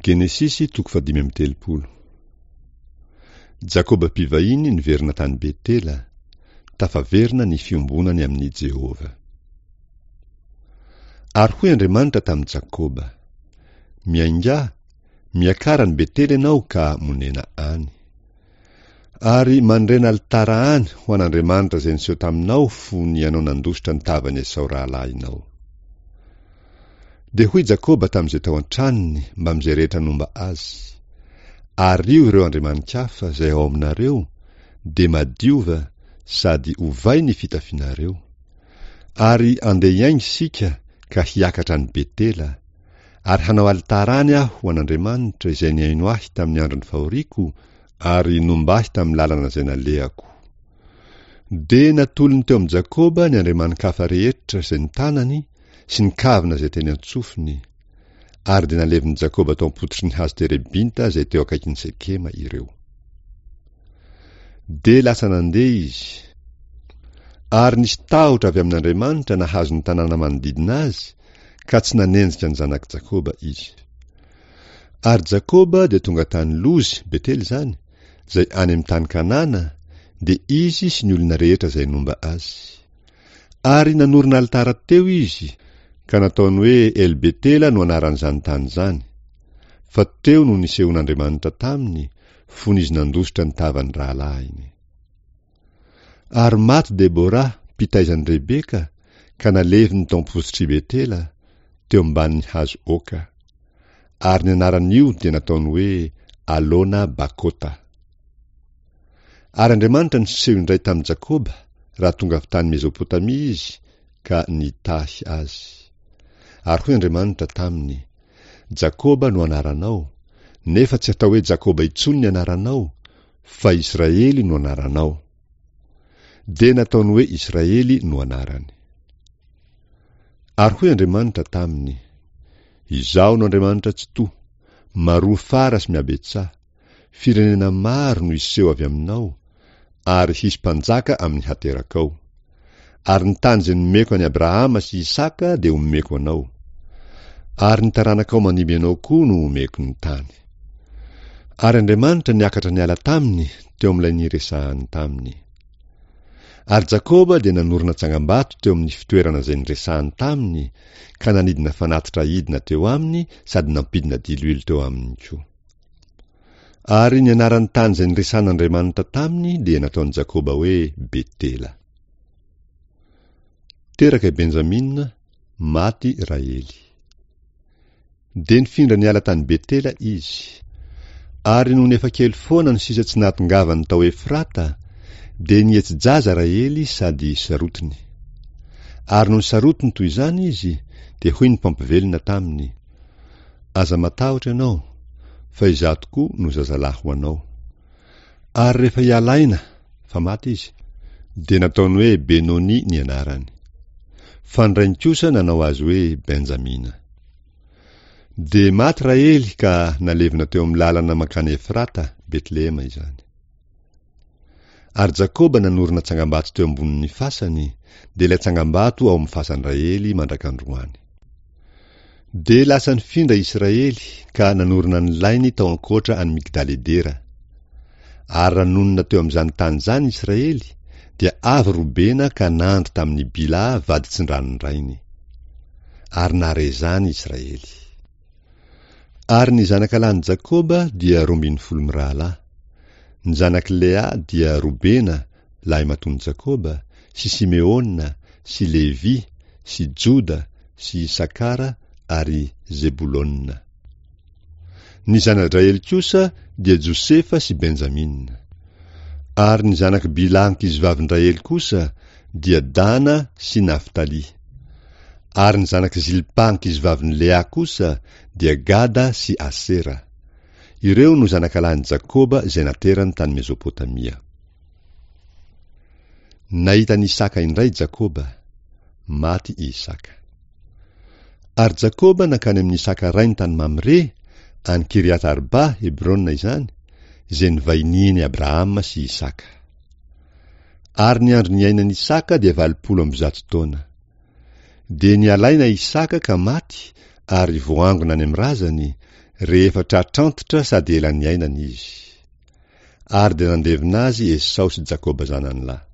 Genesisy toko fahadimy amby telopolo. Jakoba mpivahiny niverina tany Betela, tafaverina ny fiombonany amin'i Jehovah. Ary hoy Andriamanitra tamin'i Jakoba, Miaingà, miakara any Betela ianao ka monena any. Ary mandrena alitara any ho an'Andriamanitra izay niseho taminao fony ianao nandositra ny tavan'i Esao rahalahinao. Dia hoy Jakoba tamin'izay tao an-tranony mbamin'izay rehetra nomba azy, Ario ireo andriamani-kafa izay ao aminareo, dia madiova sady ovay ny fitafianareo. Ary andeha hiainga isika ka hiakatra any Betela, ary hanao alitara any aho ho an'Andriamanitra izay nihaino ahy tamin'ny andron'ny fahoriako ary nomba ahy tamin'ny lalana izay nalehako. Dia natolony teo amin'i Jakoba ny andriamani-kafa rehetra izay notanany sy ny kavina izay teny an-tsofiny, ary dia nalevin'i Jakoba tao am-pototry ny hazo terebinta izay teo akaikin'i Sekema ireo. Dia lasa nandeha izy. Ary nisy tahotra avy amin'Andriamanitra nahazo ny tanàna manodidina azy, ka tsy nanenjika ny zanak'i Jakoba izy. Ary Jakoba dia tonga tany Lozy, Betela izany, izay any amin'ny tany Kanana, dia izy sy ny olona rehetra izay nomba azy. Ary nanorina alitara teo izy, ka nataony hoe El-Betela no anaran'izany tany izany, fa teo no nisehoan'Andriamanitra taminy, fony izy nandositra ny tavan'ny rahalahiny. Ary maty Debora, mpitaiza an'i Rebeka, ka naleviny tao am-pototr'i Betela, teo ambanin'ny hazo oaka. Ary ny anaran'io dia nataony hoe Alona Bakota. Ary Andriamanitra niseho indray tamin'i Jakoba raha tonga avy tany Mezopotamia izy ka nitahy azy. Ary hoy Andriamanitra taminy, Jakoba no anaranao, nefa tsy hatao hoe Jakoba intsony ny anaranao, fa Israely no anaranao. Dia nataony hoe Israely no anarany. Ary hoy Andriamanitra taminy, Izaho no Andriamanitra Tsitoha, maroa fara sy mihabetsaha, firenena maro no hiseho avy aminao, ary hisy mpanjaka amin'ny haterakao. Ary ny tany izay nomeko an'i Abrahama sy Isaka dia homeko anao. Ary ny taranakao mandimby anao koa no homeko ny tany. Ary Andriamanitra niakatra niala taminy teo amin'ilay niresahany taminy. Ary Jakoba dia nanorina tsangambato teo amin'ny fitoerana izay niresahany taminy ka nanidina fanatitra hidina teo aminy sady nampidina diloilo teo aminy koa. Ary ny anaran'ny tany izay niresahan'Andriamanitra taminy dia nataon'i Jakoba hoe Betela. Teraka i Benjamina, maty Rahely. Dia nifindra niala tany Betela izy. Ary nony efa kely foana ny sisa tsy nahatongavany tao Efrata, dia nihetsi-jaza Rahely sady sarotiny. Ary nony sarotiny toy izany izy, dia hoy ny mpampivelona taminy, Aza matahotra ianao, fa izaho tokoa no zazalahy ho anao. Ary rehefa hiala aina, fa maty izy, dia nataony hoe Benoni ny anarany. Fa ny rainy kosa nanao azy hoe Benjamina. Dia maty Rahely ka nalevina teo amin'ny lalana mankany Efrata, Betlehema izany. Ary Jakoba nanorina tsangambato teo ambonin'ny fasany, dia ilay tsangambato ao amin'ny fasan-dRahely mandrak'androany. Dia lasa nifindra Israely ka nanorina ny lainy tao ankoatra an'i Migdaledera. Ary raha nonina teo amin'izany tany izany Israely, dia avy Robena ka nandry tamin'i Bilaha vaditsindranon-drainy. Ary nahare izany Israely. Ary ny zanaka lahin'i Jakoba dia 12 mirahalahy. Ny zanak'i Lea dia Robena, lahimatoan'i Jakoba, sy Simeona, sy Levy, sy Joda, sy Isakara ary Zebolona. Ny zana-dRahely kosa dia Josefa sy Benjamina. Ary ny zanak'i Bilha ankizivavin-dRahely kosa dia Dana sy Naftaly. Ary ny zanak'i Zilpa ankizivavin'i Lea kosa dia Gada sy Asera. Ireo no zanakalahin'i Jakoba izay naterany tany Mezopotamia. Nahita an'i Isaka indray Jakoba. Maty i Isaka. Ary Jakoba nankany amin'i Isaka rainy tany Mamre, any Kiriat-Arba, Hebrona izany, izay nivahinian'i Abrahama sy Isaka. Ary ny andro niainan'i Isaka dia 180 taona. Dia nialaina Isaka ka maty ary voangona any amin'ny razany, rehefa tratrantitra sady ela niainana izy. Ary dia nandevina azy Esao sy Jakoba zanany lahy.